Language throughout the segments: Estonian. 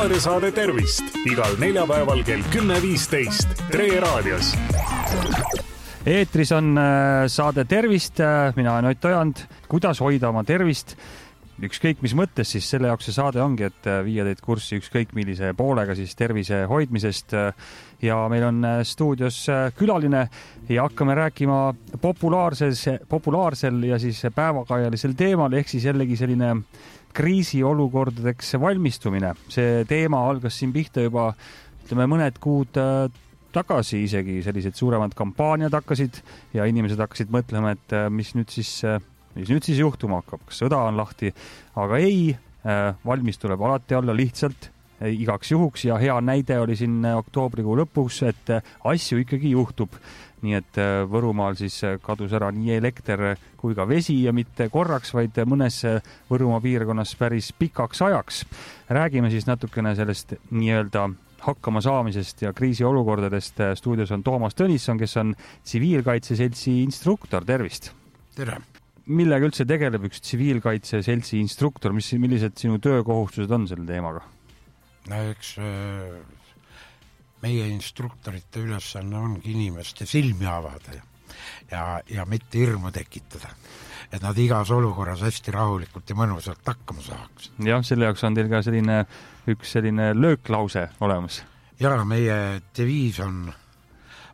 raadiosaade Tervist igal neljapäeval kell 10.15 Tre raadios. Eetris on saade Tervist, mina olen Ott Ojand. Kuidas hoida oma tervist? Ükskõik mis mõttes, siis selle jaoks see saade ongi, et viia teid kurssi ükskõik millise poolega siis tervise hoidmisest. Ja meil on stuudios külaline ja hakkame rääkima populaarsel ja siis päevakajalisel teemal, ehk siis jällegi selline kriisiolukordadeks valmistumine. See teema algas siin pihta juba, ütleme, mõned kuud tagasi isegi, sellised suuremad kampaaniad hakkasid ja inimesed hakkasid mõtlema, et mis nüüd siis juhtuma hakkab, kas sõda on lahti, aga ei, valmis tuleb alati olla lihtsalt igaks juhuks ja hea näide oli siin oktoobrikuu lõpuks, et asju ikkagi juhtub. Nii et Võrumaal siis kadus ära nii elekter kui ka vesi ja mitte korraks, vaid mõnes Võrumaa piirkonnas päris pikaks ajaks. Räägime siis natukene sellest nii-öelda hakkama saamisest ja kriisiolukordadest. Stuudios on Toomas Tõnisson, kes on tsiviilkaitseseltsi instruktor. Tervist! Tere! Millega üldse tegeleb üks tsiviilkaitseseltsi instruktor? Millised sinu töökohustused on selle teemaga? No eks meie instruktorite ülesanne ongi inimeste silmi avada ja mitte hirmu tekitada. Et nad igas olukorras hästi rahulikult ja mõnusalt hakkama saaks. Jah, selle jaoks on teil ka üks selline lööklause olemas. Ja meie deviis on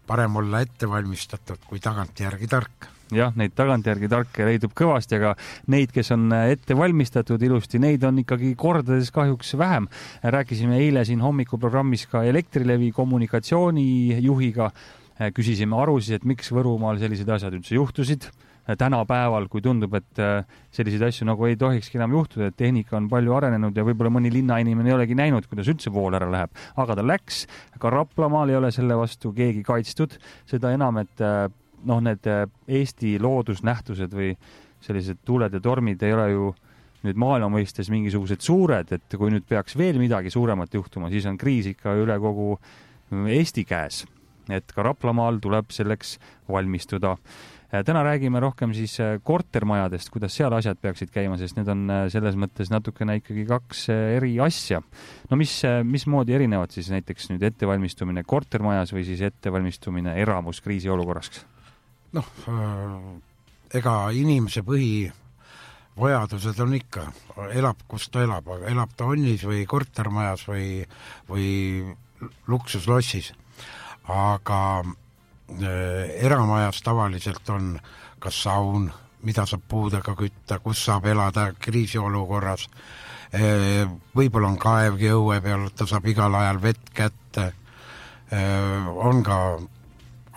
parem olla ettevalmistatud kui tagantjärgi tark. Jah, neid tagantjärgi tarke leidub kõvasti, aga neid, kes on ette valmistatud ilusti, neid on ikkagi kordades kahjuks vähem. Rääkisime eile siin hommikuprogrammis ka Elektrilevi kommunikatsioonijuhiga. Küsisime arusid, et miks Võrumaal sellised asjad üldse juhtusid. Tänapäeval, kui tundub, et selliseid asju nagu ei tohikski enam juhtuda, et tehnika on palju arenenud ja võib-olla mõni linnainimene ei olegi näinud, kuidas üldse vool ära läheb. Aga ta läks, ka Raplamaal ei ole selle vastu keegi kaitstud. Seda enam, et need Eesti loodusnähtused või sellised tuuled ja tormid ei ole ju nüüd maailma mõistes mingisugused suured, et kui nüüd peaks veel midagi suuremat juhtuma, siis on kriis ikka üle kogu Eesti käes. Et ka Raplamaal tuleb selleks valmistuda. Täna räägime rohkem siis kortermajadest, kuidas seal asjad peaksid käima, sest need on selles mõttes natukene ikkagi kaks eri asja. No mismoodi erinevad siis näiteks nüüd ettevalmistumine kortermajas või siis ettevalmistumine eramus kriisiolukorraks? Ega inimese põhivajadused on ikka, elab kus ta elab, aga elab ta onnis või kortermajas või luksuslossis. Aga eramajas tavaliselt on kas saun, mida saab puudega kütta, kus saab elada kriisiolukorras. Võib-olla on kaevgi õue peal, ta saab igal ajal vett kätte. On ka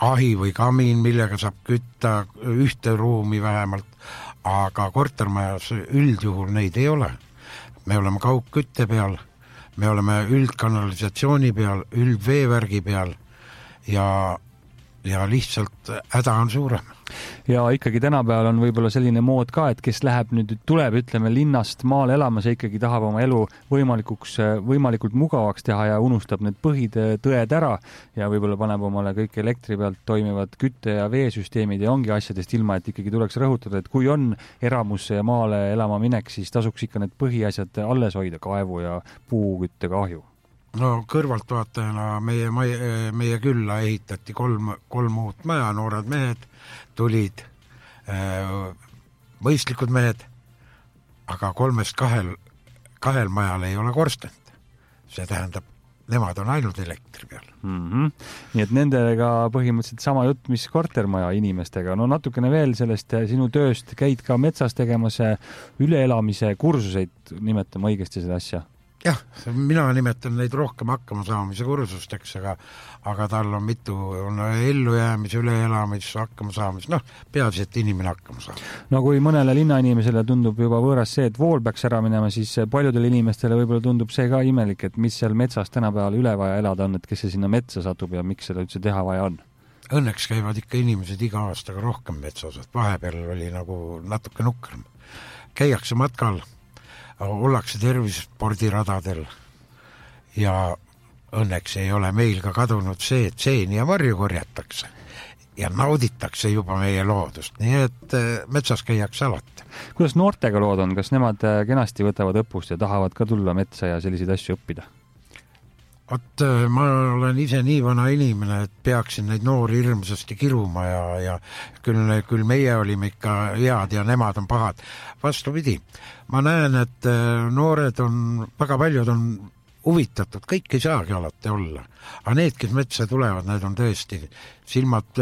ahi või kamin, millega saab kütta ühte ruumi vähemalt, aga kortermajas üldjuhul neid ei ole. Me oleme kaugkütte peal, me oleme üldkanalisatsiooni peal, üldveevärgi peal ja lihtsalt häda on suurem. Ja ikkagi tänapäeval on võib-olla selline mood ka, et kes tuleb, ütleme, linnast maale elamas ja ikkagi tahab oma elu võimalikult mugavaks teha ja unustab need põhitõed ära ja võib-olla paneb omale kõik elektri pealt toimivad kütte- ja veesüsteemid ja ongi asjadest ilma, et ikkagi tuleks rõhutada, et kui on eramusse ja maale elama minek, siis tasuks ikka need põhiasjad alles hoida, kaevu ja puukütte kahju. No kõrvaltvaatajana meie külla ehitati kolm uut maja, noored mehed tulid, mõistlikud mehed, aga kolmest kahel majal ei ole korstent. See tähendab, nemad on ainult elektri peal. Nii et nendega põhimõtteliselt sama jutt, mis kortermaja inimestega. No natukene veel sellest sinu tööst, käid ka metsas tegemas üleelamise kursuseid, nimetame õigesti seda asja. Jah, mina nimetan neid rohkem hakkama saamise kursusteks, aga tal on mitu ellujäämis, üleelamis, hakkama saamis. Peaasi, et inimene hakkama saab. No kui mõnele linnainimesele tundub juba võõras see, et vool peaks ära minema, siis paljudele inimestele võib-olla tundub see ka imelik, et mis seal metsas tänapäeval üle vaja elada on, et kes see sinna metsa satub ja miks seda üldse teha vaja on? Õnneks käivad ikka inimesed iga aastaga rohkem metsas, et vahepeal oli nagu natuke nukrem. Käiakse matkal, ollakse tervisespordiradadel ja õnneks ei ole meil ka kadunud see, et seeni ja varju korjatakse ja nauditakse juba meie loodust, nii et metsas käiakse alati. Kuidas noortega lood on, kas nemad kenasti võtavad õppust ja tahavad ka tulla metsa ja selliseid asju õppida? Vot ma olen ise nii vana inimene, et peaksin neid noori hirmsasti kiruma ja küll meie olime ikka head ja nemad on pahad. Vastupidi, ma näen, et noored on, väga paljud on huvitatud, kõik ei saagi alati olla. Aga need, kes metsa tulevad, need on tõesti silmad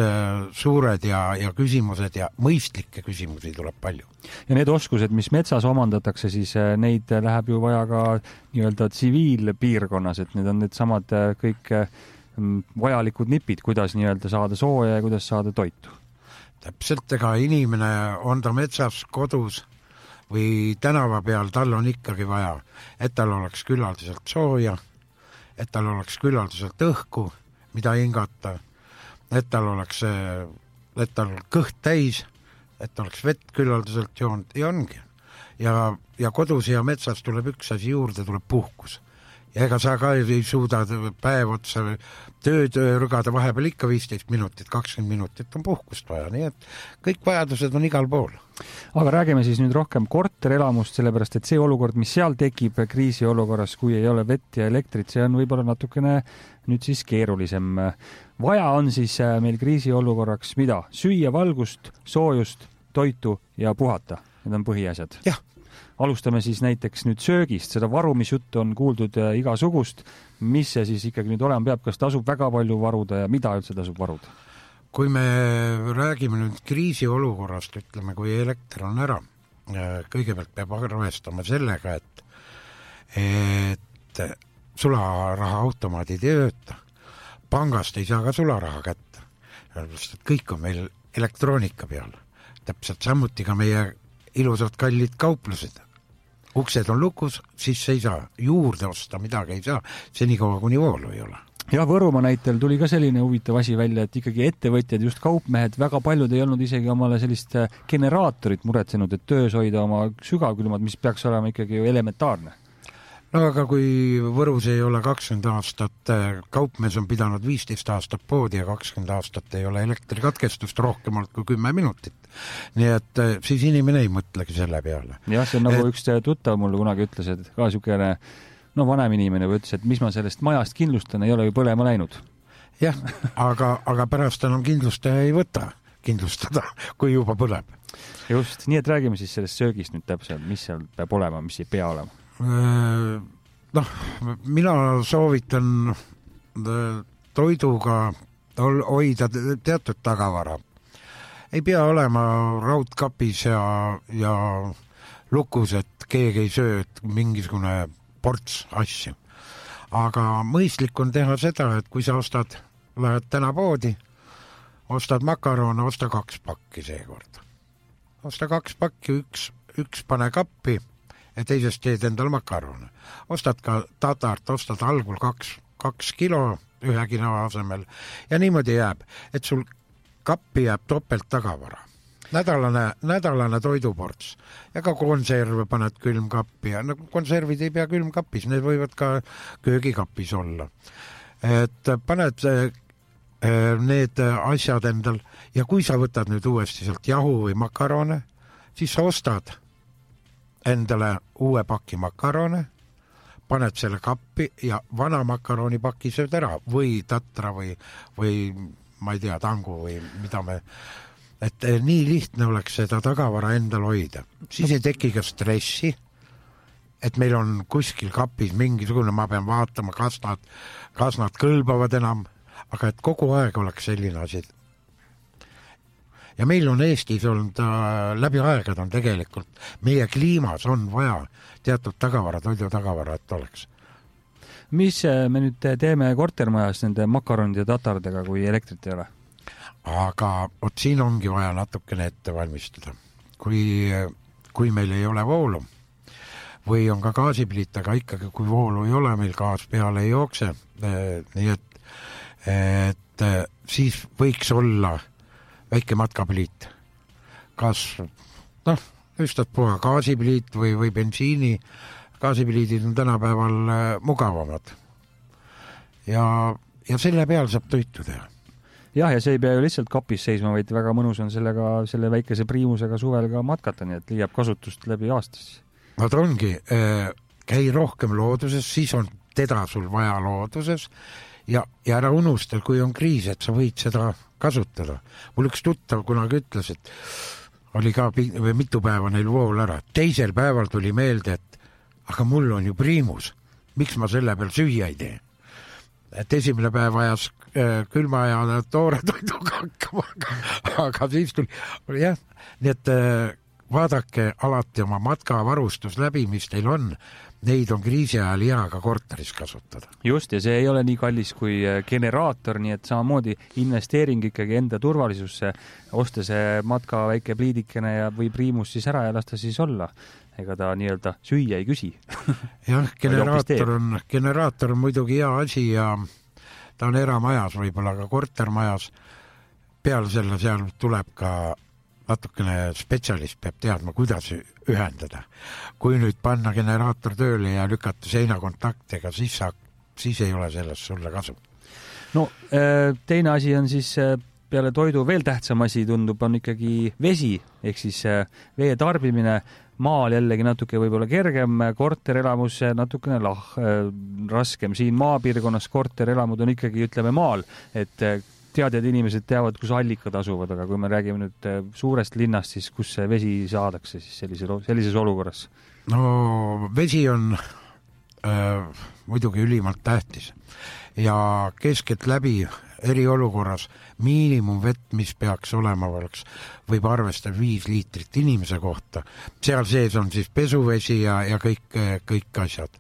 suured ja küsimused ja mõistlikke küsimusi tuleb palju. Ja need oskused, mis metsas omandatakse, siis neid läheb ju vaja ka nii-öelda tsiviilpiirkonnas, et need on need samad kõik vajalikud nipid, kuidas nii-öelda saada sooja ja kuidas saada toitu. Täpselt, ega inimene on ta metsas, kodus või tänava peal, tal on ikkagi vaja, et tal oleks küllaldaselt sooja, et tal oleks küllaldaselt õhku, mida hingata, et tal oleks, et tal kõht täis, et oleks vett küllaldaselt joonud ja ongi. Ja kodus ja metsas tuleb üks asi juurde, tuleb puhkus. Ja ega sa ka ei suuda päev otsa tööd rügada, vahepeal ikka 15 minutit, 20 minutit on puhkust vaja, nii et kõik vajadused on igal pool. Aga räägime siis nüüd rohkem korterelamust, sellepärast et see olukord, mis seal tekib kriisiolukorras, kui ei ole vett ja elektrit, see on võib-olla natukene nüüd siis keerulisem. Vaja on siis meil kriisiolukorraks mida? Süüa valgust, soojust, toitu ja puhata. Need on põhiasjad. Jah. Alustame siis näiteks nüüd söögist, seda varumisjuttu on kuuldud igasugust. Mis see siis ikkagi nüüd olema peab, kas tasub väga palju varuda ja mida üldse tasub varuda? Kui me räägime nüüd kriisiolukorrast, ütleme, kui elekter on ära, kõigepealt peab arvestama sellega, et sularaha automaadid ei tööta. Pangast ei saa ka sularaha kätte. Kõik on meil elektroonika peal. Täpselt samuti ka meie ilusad kallid kauplused. Uksed on lukus, siis ei saa juurde osta, midagi ei saa, senikaua kuni voolu ei ole. Ja Võrumaa näitel tuli ka selline huvitav asi välja, et ikkagi ettevõtjad, just kaupmehed, väga paljud ei olnud isegi omale sellist generaatorit muretsenud, et töös hoida oma sügavkülmad, mis peaks olema ikkagi ju elementaarne. No aga kui Võrus ei ole 20 aastat, kaupmees on pidanud 15 aastat poodi ja 20 aastat ei ole elektrikatkestust rohkemalt kui 10 minutit. Nii et siis inimene ei mõtlegi selle peale. Jah, see on nagu üks tuttav mulle kunagi ütles, et ka sükene vanem inimene ütles, et mis ma sellest majast kindlustan, ei ole ju põlema läinud. Jah, aga pärast enam kindlustaja ei võta kindlustada, kui juba põleb. Just, nii et räägime siis sellest söögist nüüd täpselt, mis seal peab olema, mis ei pea olema. Mina soovitan toiduga hoida teatud tagavara. Ei pea olema raudkapis ja lukus, et keegi ei söö mingisugune ports asju. Aga mõistlik on teha seda, et kui sa lähed täna poodi, ostad makarone, osta 2 pakki seekord. Osta 2 pakki, üks pane kappi ja teisest teed endal makarone. Ostad ka tatart, ostad algul 2 kilo 1 kilo asemel ja niimoodi jääb, et sul kappi jääb topelt tagavara. Nädalane toiduports ja ka konserve paned külmkappi ja konservid ei pea külmkapis, need võivad ka köögikapis olla. Et paned need asjad endal ja kui sa võtad nüüd uuesti sealt jahu või makarone, siis sa ostad endale uue paki makarone, paned selle kappi ja vana makaronipaki sööd ära või tatra või ma ei tea, tangu või mida me... Et nii lihtne oleks seda tagavara endal hoida. Siis ei teki ka stressi, et meil on kuskil kapis mingisugune, ma pean vaatama, kas nad kõlbavad enam, aga et kogu aeg oleks selline asi. Ja meil on Eestis olnud läbi aegad on tegelikult, meie kliimas on vaja teatud tagavara, toidu tagavara, et oleks. Mis me nüüd teeme kortermajas nende makaronide ja tatardega, kui elektrit ei ole? Aga siin ongi vaja natukene ette valmistada. Kui meil ei ole voolu või on ka gaasipliit, aga ikkagi kui voolu ei ole, meil gaas peale ei jookse, nii et siis võiks olla väike matkapliit. Kas, üstad gaasipliit või bensiini, gaasipliidid on tänapäeval mugavamad. Ja selle peal saab toitu teha. Jah, ja see ei pea ju lihtsalt kapis seisma, vaid väga mõnus on selle väikese priimusega suvel ka matkata, nii et leiab kasutust läbi aastas. Nad ongi, käi rohkem looduses, siis on teda sul vaja looduses ja ära unustada, kui on kriis, et sa võid seda kasutada. Mul üks tuttav kunagi ütles, et oli ka mitu päeva neil vool ära. Teisel päeval tuli meelde, et aga mul on ju priimus. Miks ma selle peal süüa ei tee? Et esimene päev ajas külma ja toore toiduga hakkama, aga siis tuli jah, nii et vaadake alati oma matkavarustus läbi, mis teil on. Neid on kriisi ajal hea ka korteris kasutada. Just, ja see ei ole nii kallis kui generaator, nii et samamoodi investeering ikkagi enda turvalisusse, osta see matka väike pliidikene ja või priimus siis ära ja lasta siis olla. Ega ta nii-öelda süüa ei küsi. Jah, generaator on muidugi hea asi ja ta on eramajas võib-olla ka kortermajas. Peale selle seal tuleb ka natukene spetsialist peab teadma, kuidas ühendada. Kui nüüd panna generaator tööle ja lükata seinakontaktega, siis ei ole sellest sulle kasu. No teine asi on siis peale toidu veel tähtsam asi tundub, on ikkagi vesi, ehk siis vee tarbimine. Maal jällegi natuke võib-olla kergem, korterelamus natukene raskem. Siin maapiirkonnas korterelamud on ikkagi, ütleme, maal, et teadjad inimesed teavad, kus allikad asuvad, aga kui me räägime nüüd suurest linnast, siis kus see vesi saadakse siis sellises olukorras? No vesi on muidugi ülimalt tähtis ja keskelt läbi eriolukorras miinimumvett, mis peaks olema, võib arvestada 5 liitrit inimese kohta. Seal sees on siis pesuvesi ja kõik asjad.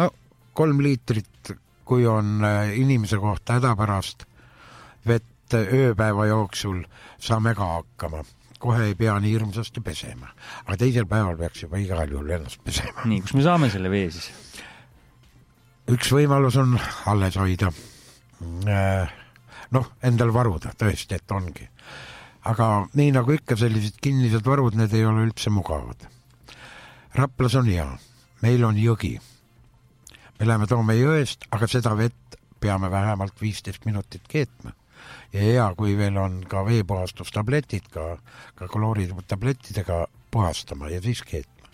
No 3 liitrit, kui on inimese kohta hädapärast vett ööpäeva jooksul, saame ka hakkama. Kohe ei pea nii hirmsasti pesema. Aga teisel päeval peaks juba igal juhul ennast pesema. Nii, kus me saame selle vee siis? Üks võimalus on alles hoida. Endal varuda, tõesti, et ongi. Aga nii nagu ikka sellised kinnised varud, need ei ole üldse mugavad. Raplas on hea. Meil on jõgi. Me läheme toome jõest, aga seda vett peame vähemalt 15 minutit keetma. Ja hea, kui veel on ka veepuhastustabletid, ka klooritablettidega puhastama ja siis keetma.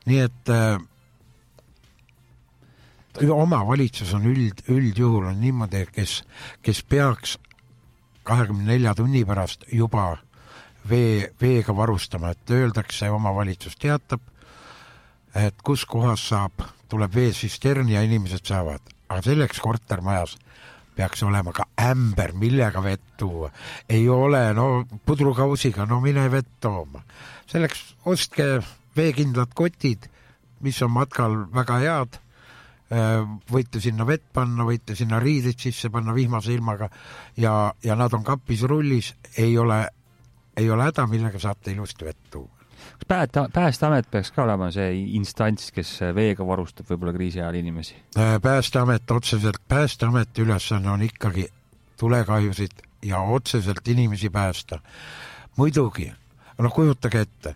Nii et oma valitsus on üldjuhul on niimoodi, kes peaks 24 tunni pärast juba veega varustama, et öeldakse, oma valitsus teatab, et kus kohas tuleb veesisterni ja inimesed saavad. Aga selleks kortermajas peaks olema ka ämber, millega vett tuua. Ei ole, pudrukausiga, mine vett tooma. Selleks ostke veekindlad kotid, mis on matkal väga head. Võite sinna vett panna, võite sinna riidid sisse panna vihmase ilmaga ja nad on kapis rullis, ei ole häda, millega saate ilusti vett tuua. Päästeamet peaks ka olema see instants, kes veega varustab võib-olla kriisi ajal inimesi? Päästeameti ülesanne on ikkagi tulekahjusid ja otseselt inimesi päästa. Muidugi, kujutage ette,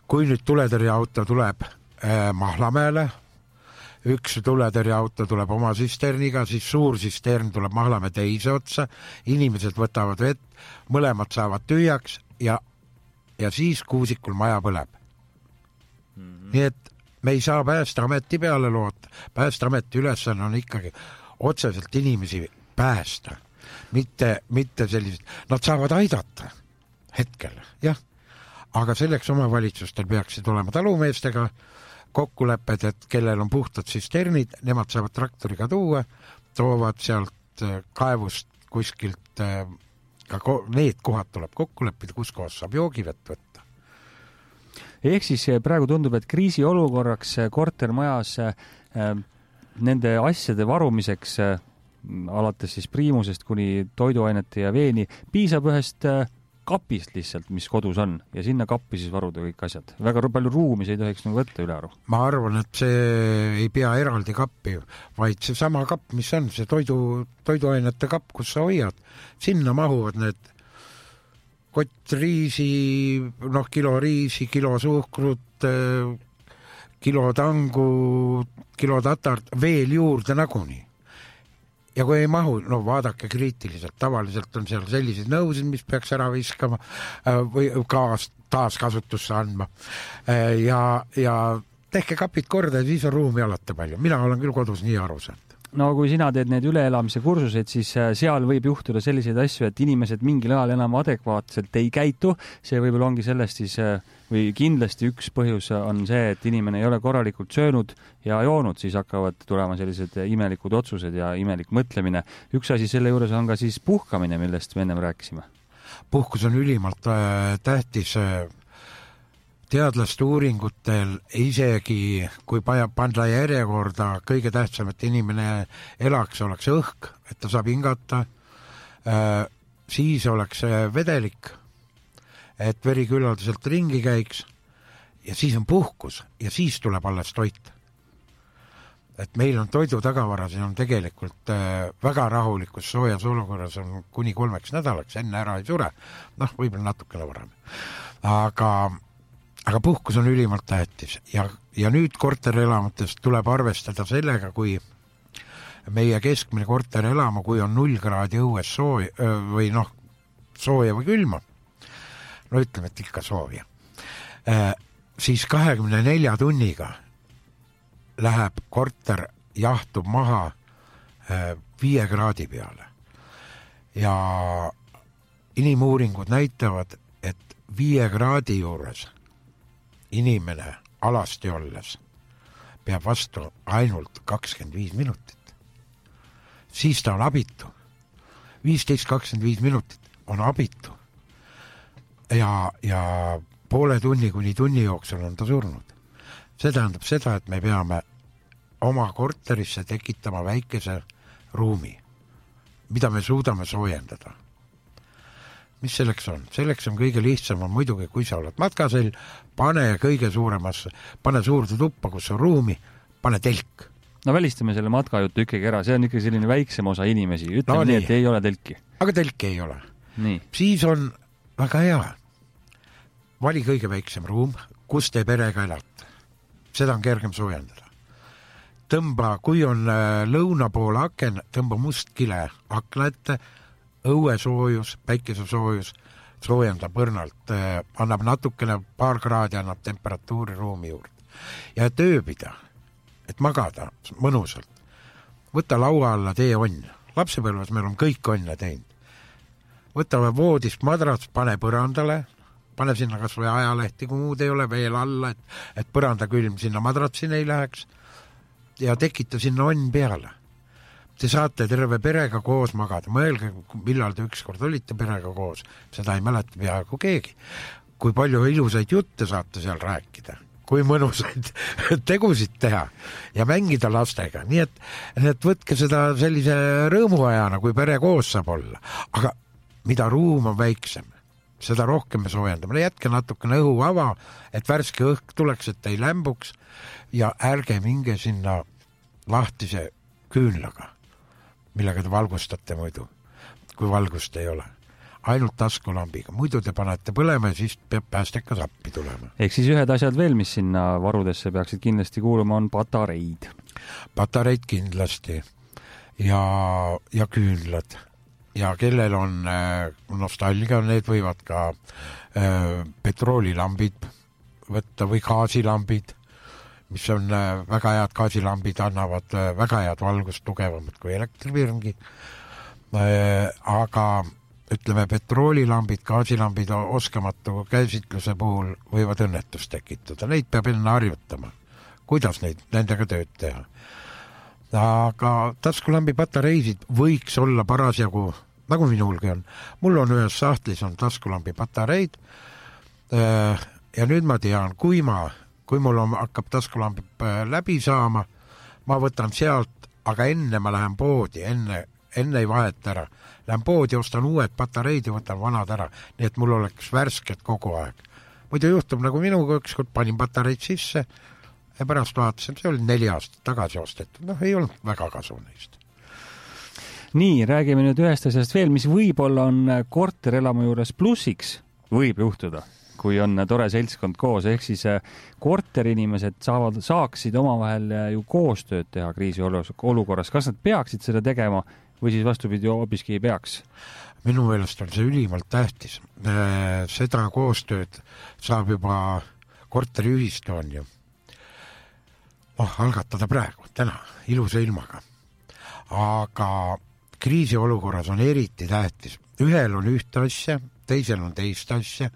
kui nüüd tuletõrjeauto tuleb Mahlamäele, üks tuletõrjeauto tuleb oma sisterniga, siis suur sistern tuleb Mahlamäe teise otsa, inimesed võtavad vett, mõlemad saavad tühjaks ja siis kuusikul maja põleb. Nii et me ei saa Päästeameti peale loota. Päästeameti ülesanne on ikkagi otseselt inimesi päästa, mitte sellised. Nad saavad aidata hetkel, jah. Aga selleks omavalitsustel peaksid olema talumeestega kokkulepped, et kellel on puhtad sisternid, nemad saavad traktoriga tuua, toovad sealt kaevust kuskilt, need kohad tuleb kokku leppida, kus kohas saab joogivett võtta. Ehk siis praegu tundub, et kriisiolukorraks kortermajas nende asjade varumiseks, alates siis priimusest kuni toiduainete ja veeni, piisab ühest kapist lihtsalt, mis kodus on, ja sinna kappi siis varuda kõik asjad. Väga palju ruumi see ei tohiks võtta üle aru. Ma arvan, et see ei pea eraldi kappi, vaid see sama kapp, mis on, see toiduainete kapp, kus sa hoiad, sinna mahuvad need kott riisi, kilo riisi, kilo suhkrut, kilo tangu, kilo tatart, veel juurde nagunii. Ja kui ei mahu, vaadake kriitiliselt, tavaliselt on seal sellised nõusid, mis peaks ära viskama või taaskasutusse andma. Ja tehke kapid korda ja siis on ruumi alati palju. Mina olen küll kodus nii aru saanud. No kui sina teed need üleelamise kursused, siis seal võib juhtuda selliseid asju, et inimesed mingil ajal enam adekvaatselt ei käitu. See võib-olla ongi sellest siis, või kindlasti üks põhjus on see, et inimene ei ole korralikult söönud ja joonud, siis hakkavad tulema sellised imelikud otsused ja imelik mõtlemine. Üks asi selle juures on ka siis puhkamine, millest me ennem rääkisime. Puhkus on ülimalt tähtis. Teadlaste uuringutel isegi, kui panda järjekorda kõige tähtsam, et inimene elaks, oleks õhk, et ta saab hingata, siis oleks vedelik, et veri küllaldaselt ringi käiks ja siis on puhkus ja siis tuleb alles toit. Et meil on toidu tagavara, siin on tegelikult väga rahulikus soojas olukorras on kuni 3 nädalaks, enne ära ei sure, võib-olla natukene varem. Aga puhkus on ülimalt tähtis ja nüüd korterelamutest tuleb arvestada sellega, kui meie keskmine korterelamu, kui on 0 kraadi õues sooja või külma, ütleme, et ikka sooja, siis 24 tunniga läheb korter, jahtub maha 5 kraadi peale. Ja inimuuringud näitavad, et 5 kraadi juures inimene alasti olles peab vastu ainult 25 minutit. Siis ta on abitu. 15-25 minutit on abitu. Ja poole tunni kuni tunni jooksul on ta surnud. See tähendab seda, et me peame oma korterisse tekitama väikese ruumi, mida me suudame soojendada. Mis selleks on? Selleks on kõige lihtsam on muidugi, kui sa oled matkasel, pane suurde tuppa, kus on ruumi, pane telk. No välistame selle matkajuttu ikkagi ära, see on ikkagi selline väiksem osa inimesi. Ütleme nii, et ei ole telki. Aga telki ei ole. Nii. Siis on väga hea. Vali kõige väiksem ruum, kus te perega elate. Seda on kergem soojendada. Tõmba, kui on lõuna pool aken, tõmba must kile akna ette, õuesoojus, päikesesoojus, soojendab õrnalt, annab natukene paar kraadi, annab temperatuuri ruumi juurde. Ja tööbida, et magada mõnusalt. Võta laua alla tee onn. Lapsepõlves meil on kõik onne teinud. Võta voodist madrats, pane põrandale, pane sinna kas või ajalehti, kui muud ei ole veel alla, et põranda külm sinna madratsini ei läheks ja tekita sinna onn peale. Te saate terve perega koos magada. Mõelge, millal te ükskord olite perega koos. Seda ei mäleta peaaegu keegi. Kui palju ilusaid jutte saate seal rääkida. Kui mõnusaid tegusid teha ja mängida lastega. Nii et võtke seda sellise rõõmuajana, kui pere koos saab olla. Aga mida ruum on väiksem, seda rohkem me soojendame. Jätke natukene õhu ava, et värske õhk tuleks, et ei lämbuks ja ärge minge sinna lahtise küünlaga, millega te valgustate muidu, kui valgust ei ole. Ainult taskulambiga. Muidu te panete põlema ja siis peab päästekas appi tulema. Ehk siis ühed asjad veel, mis sinna varudesse peaksid kindlasti kuuluma, on patareid. Patareid kindlasti ja küünlad. Ja kellel on nostalgia, need võivad ka petroolilambid võtta või gaasilambid, mis on väga head gaasilambid, annavad väga head valgust, tugevamad kui elektrivirngi. Aga ütleme, petroolilambid, gaasilambid oskamatu käsitluse puhul võivad õnnetust tekitada. Neid peab enne harjutama, kuidas nendega tööd teha. Aga taskulambi patareisid võiks olla parasjagu, nagu minulgi on. Mul on ühes sahtlis on taskulambi patareid ja nüüd ma tean, kui mul hakkab taskulambi läbi saama, ma võtan sealt, aga enne ma lähen poodi, enne ei vahet ära. Lähen poodi, ostan uued patareid ja võtan vanad ära, nii et mul oleks värsked kogu aeg. Muidu juhtub nagu minuga, ükskord panin patareid sisse ja pärast vaatasin, see oli 4 aastat tagasi ostetud. Ei olnud väga kasu neist. Nii, räägime nüüd ühest asjast veel, mis võib-olla on korterelamu juures plussiks, võib juhtuda, kui on tore seltskond koos, ehk siis korterinimesed saaksid omavahel ju koostööd teha kriisiolukorras. Kas nad peaksid seda tegema või siis vastupidi hoopiski ei peaks? Minu meelest on see ülimalt tähtis. Seda koostööd saab juba korteriühistu on ju. algatada praegu, täna, ilusa ilmaga. Aga kriisiolukorras on eriti tähtis. Ühel on ühte asja, teisel on teist asja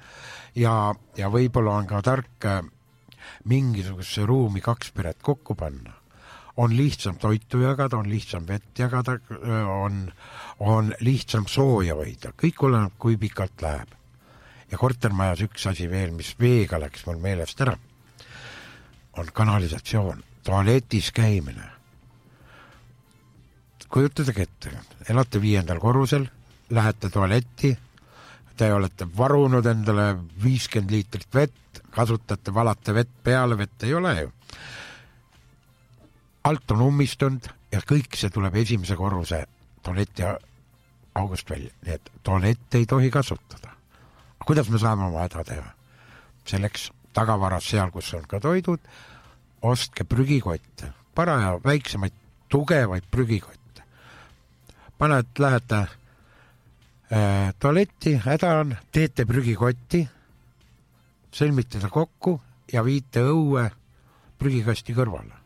ja võib-olla on ka tark mingisuguse ruumi 2 peret kokku panna. On lihtsam toitu jagada, on lihtsam vett jagada, on lihtsam sooja hoida. Kõik oleneb, kui pikalt läheb. Ja kortermajas üks asi veel, mis veega läks mul meelest ära, on kanalisatsioon, tualetis käimine. Kujutage ette, elate 5. korrusel, lähete tualetti, te olete varunud endale 50 liitrit vett, kasutate, valate vett peale, vett ei ole ju. Alt on ummistunud ja kõik see tuleb 1. korruse tualeti august välja. Nii et tualett ei tohi kasutada. Kuidas me saame oma häda teha? Selleks tagavaras seal, kus on ka toidud, ostke prügikotte, paraja väiksemaid, tugevaid prügikotte. Lähete tualetti, häda on, teete prügikotti, sõlmite ta kokku ja viite õue prügikasti kõrvale.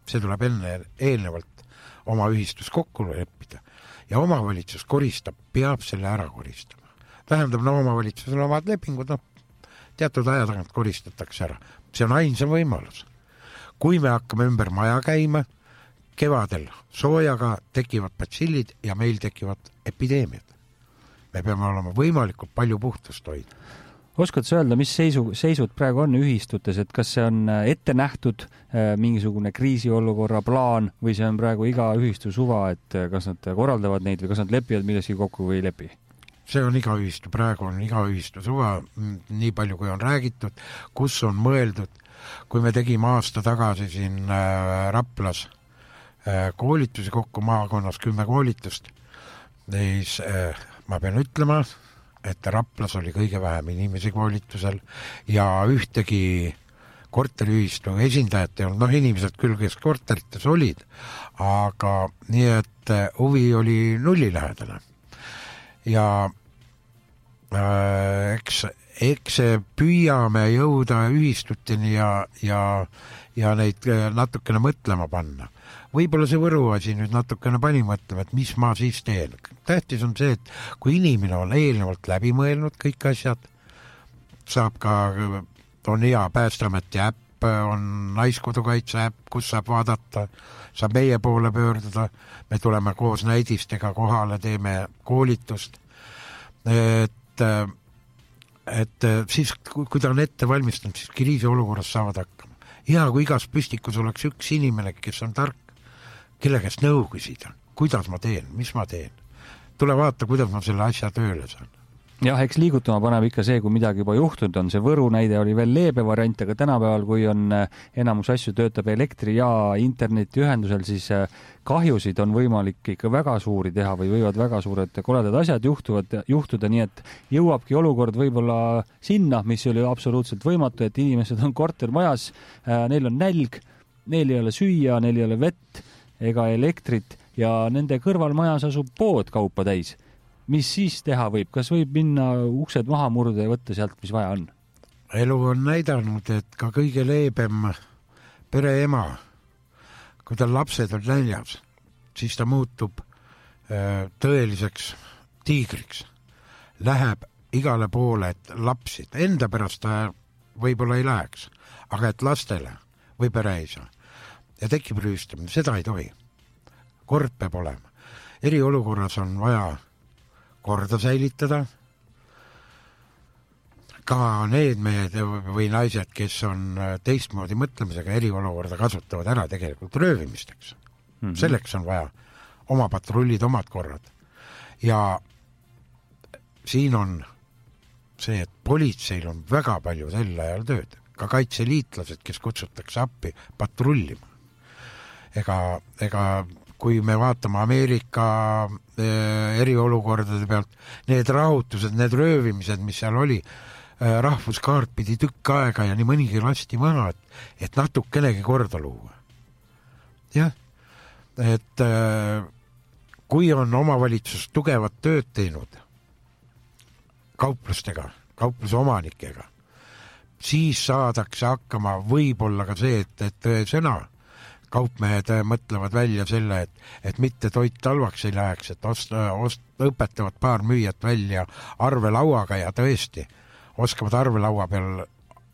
See tuleb eelnevalt oma ühistus kokku leppida ja omavalitsus koristab, peab selle ära koristama. Tähendab, omavalitsusel omad lepingud, teatud aja tagant koristatakse ära. See on ainsam võimalus. Kui me hakkame ümber maja käima, kevadel soojaga tekivad batsillid ja meil tekivad epideemiad. Me peame olema võimalikult palju puhtust hoida. Oskad sa öelda, mis seisud praegu on ühistutes, et kas see on ette nähtud mingisugune kriisiolukorra plaan või see on praegu iga ühistu suva, et kas nad korraldavad neid või kas nad lepivad milleski kokku või ei lepi? See on iga ühistu, praegu on iga ühistu suva, nii palju kui on räägitud, kus on mõeldud. Kui me tegime aasta tagasi siin Raplas koolitusi kokku maakonnas 10 koolitust, siis ma pean ütlema, et Raplas oli kõige vähem inimesi koolitusel ja ühtegi korteriühistu esindajat ei olnud, inimesed küll, kes korterites olid, aga nii, et huvi oli nullilähedane. Ja eks püüame jõuda ühistuteni ja neid natukene mõtlema panna. Võib-olla see Võru asi nüüd natukene pani mõtlema, et mis ma siis teen. Tähtis on see, et kui inimene on eelnevalt läbi mõelnud kõik asjad, saab ka, on hea Päästeameti äpp, on Naiskodukaitse äpp, kus saab vaadata, saab meie poole pöörduda, me tuleme koos näidistega kohale, teeme koolitust, et siis, kui ta on ette valmistanud, siis kriisiolukorras saavad hakkama. Hea, kui igas püstikus oleks üks inimene, kes on tark, kelle käest nõu küsida, kuidas ma teen, mis ma teen. Tule vaata, kuidas ma selle asja tööle saan. Jah, eks liigutama paneb ikka see, kui midagi juba juhtunud on. See Võru näide oli veel leebe variant, aga tänapäeval, kui on enamus asju töötab elektri ja internetiühendusel, siis kahjusid on võimalik ikka väga suuri teha või võivad väga suured koledad asjad juhtuda, nii et jõuabki olukord võib-olla sinna, mis oli absoluutselt võimatu, et inimesed on kortermajas, neil on nälg, neil ei ole süüa, neil ei ole vett ega elektrit ja nende kõrvalmajas asub pood kaupa täis. Mis siis teha võib? Kas võib minna uksed maha murda ja võtta sealt, mis vaja on? Elu on näidanud, et ka kõige leebem pereema, kui tal lapsed on näljas, siis ta muutub tõeliseks tiigriks. Läheb igale poole, et lapsid, enda pärast ta võib-olla ei läheks, aga et lastele või pereisa. Ja tekib rüüstamine, seda ei tohi. Kord peab olema. Eriolukorras on vaja korda säilitada. Ka need mehed või naised, kes on teistmoodi mõtlemisega eriolukorda kasutavad ära tegelikult röövimisteks. Selleks on vaja oma patrullid, omad korrad. Ja siin on see, et politseil on väga palju sel ajal tööd. Ka kaitseliitlased, kes kutsutakse appi patrullima. Ega kui me vaatame Ameerika eriolukordade pealt, need rahutused, need röövimised, mis seal oli, rahvuskaart pidi tükk aega ja nii mõnigi lasti maha, et natukenegi korda luua. Jah, et kui on omavalitsus tugevat tööd teinud kauplustega, kaupluse omanikega, siis saadakse hakkama võib-olla ka see, et sõna kaupmehed mõtlevad välja selle, et mitte toit halvaks ei läheks, et õpetavad paar müüjat välja arvelauaga ja tõesti oskavad arvelaua peal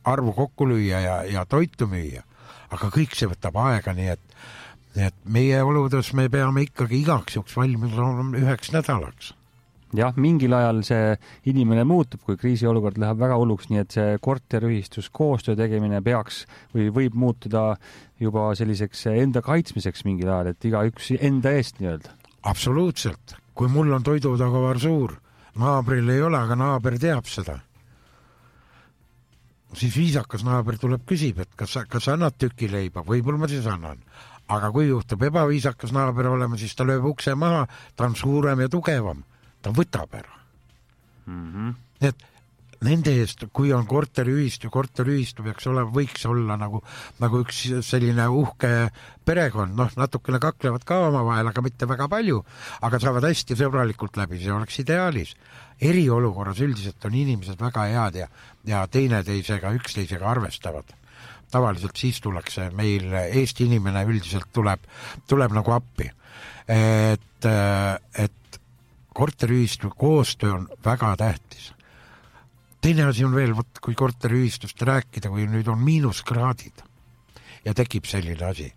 arvu kokku lüüa ja toitu müüa. Aga kõik see võtab aega, nii et meie oludes me peame ikkagi igaks juks valmis olema 1 nädalaks. Jah, mingil ajal see inimene muutub, kui kriisiolukord läheb väga hulluks, nii et see korteriühistus koostöö tegemine peaks või võib muutuda juba selliseks enda kaitsmiseks mingil ajal, et igaüks enda eest nii-öelda. Absoluutselt. Kui mul on toidutagavar suur, naabril ei ole, aga naaber teab seda. Siis viisakas naaber tuleb küsib, et kas annad tüki leiba, võib-olla ma siis annan. Aga kui juhtub ebaviisakas naaber olema, siis ta lööb ukse maha, ta on suurem ja tugevam. Ta võtab ära. Et nende eest, kui on korteriühistu võiks olla nagu üks selline uhke perekond, natukene kaklevad ka oma vahel, aga mitte väga palju, aga saavad hästi sõbralikult läbi, see oleks ideaalis. Eriolukorras üldiselt on inimesed väga head ja üksteisega arvestavad. Tavaliselt siis tullakse meil, Eesti inimene üldiselt tuleb nagu appi. Et korteriühistu koostöö on väga tähtis. Teine asi on veel, kui korteriühistust rääkida, kui nüüd on miinuskraadid ja tekib selline asi.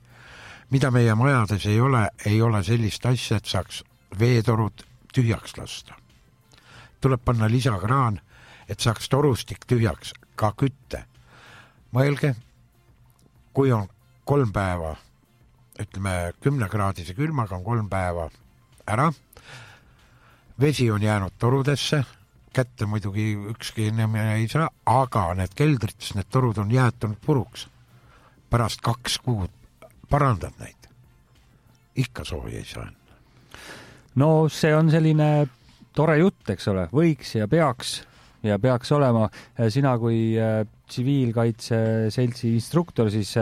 Mida meie majades ei ole sellist asja, et saaks veetorud tühjaks lasta. Tuleb panna lisakraan, et saaks torustik tühjaks, ka kütte. Mõelge, kui on 3 päeva, ütleme 10-kraadise külmaga on 3 päeva ära, vesi on jäänud torudesse, kätte muidugi ükski inimene ei saa, aga need keldrites, need torud on jäetunud puruks. Pärast 2 kuud parandad neid. Ikka soovi ei saa. No see on selline tore jutt, eks ole, võiks ja peaks olema. Sina kui tsiviilkaitse seltsi instruktor, siis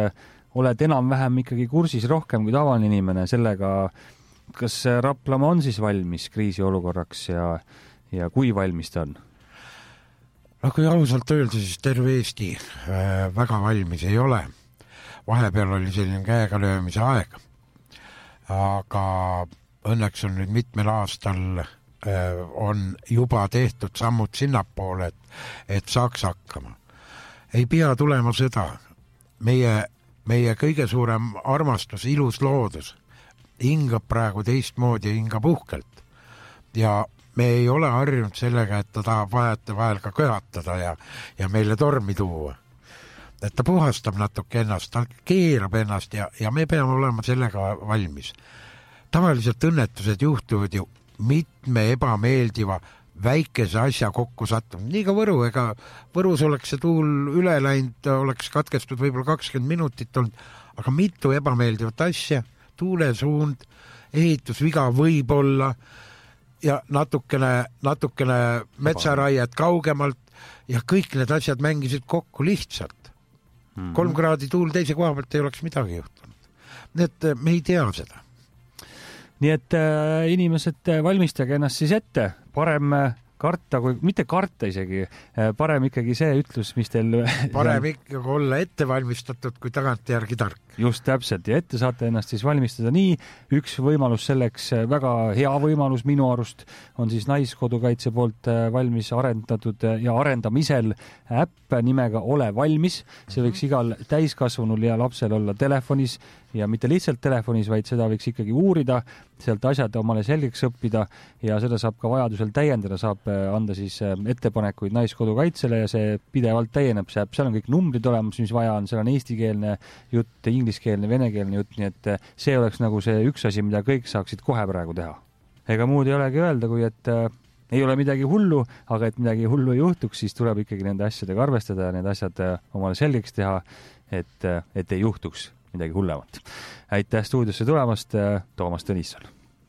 oled enam-vähem ikkagi kursis rohkem kui tavaline inimene sellega, kas Raplamaa on siis valmis kriisiolukorraks ja kui valmis ta on? No kui ausalt öelda, siis terve Eesti väga valmis ei ole. Vahepeal oli selline käega löömise aeg. Aga õnneks on nüüd mitmel aastal on juba tehtud sammud sinnapoole, et saaks hakkama. Ei pea tulema seda. Meie kõige suurem armastus, ilus loodus hingab praegu teistmoodi ja hingab uhkelt. Ja me ei ole harjunud sellega, et ta tahab vahel ka köhatada ja meile tormi tuua. Et ta puhastab natuke ennast, ta keerab ennast ja me peame olema sellega valmis. Tavaliselt õnnetused juhtuvad ju mitme ebameeldiva väikese asja kokku sattunud. Nii ka Võrus oleks see tuul üle läinud, oleks katkestud võib-olla 20 minutit olnud, aga mitu ebameeldivat asja, tuulesuund, ehitusviga võib olla ja natukene metsaraiet kaugemalt ja kõik need asjad mängisid kokku lihtsalt. 3 kraadi tuul teise koha pealt ei oleks midagi juhtunud. Nii et me ei tea seda. Nii et inimesed valmistage ennast siis ette, parem karta, kui mitte karta isegi, parem ikkagi see ütlus, mis teil... Parem ikkagi olla ette valmistatud, kui tagant järgi tark. Just täpselt ja ette saate ennast siis valmistada nii. Üks võimalus selleks, väga hea võimalus minu arust, on siis Naiskodukaitse poolt valmis arendatud ja arendamisel äpp nimega Ole valmis. See võiks igal täiskasvanul ja lapsel olla telefonis ja mitte lihtsalt telefonis, vaid seda võiks ikkagi uurida, sealt asjad omale selgeks õppida ja seda saab ka vajadusel täiendada, saab anda siis ettepanekuid Naiskodukaitsele ja see pidevalt täieneb, seal on kõik numbrid olemas, mis vaja on, seal on eestikeelne jutt, ingliskeelne, venekeelne jutt, nii et see oleks nagu see üks asi, mida kõik saaksid kohe praegu teha. Ega muud ei olegi öelda, kui et ei ole midagi hullu, aga et midagi hullu ei juhtuks, siis tuleb ikkagi nende asjadega arvestada ja need asjad omale selgeks teha, et ei juhtuks midagi hullemat. Aitäh stuudiosse tulemast, Toomas Tõnisson.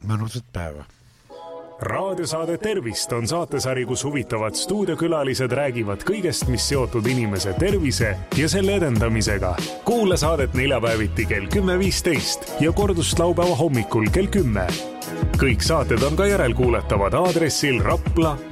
Mõnusat päeva. Raadiosaade Tervist on saatesari, kus huvitavad stuudiokülalised räägivad kõigest, mis seotud inimese tervise ja selle edendamisega. Kuula saadet neljapäeviti kell 10.15 ja kordust laupäeva hommikul kell 10. Kõik saated on ka järelkuuletavad aadressil rapla.tre.ee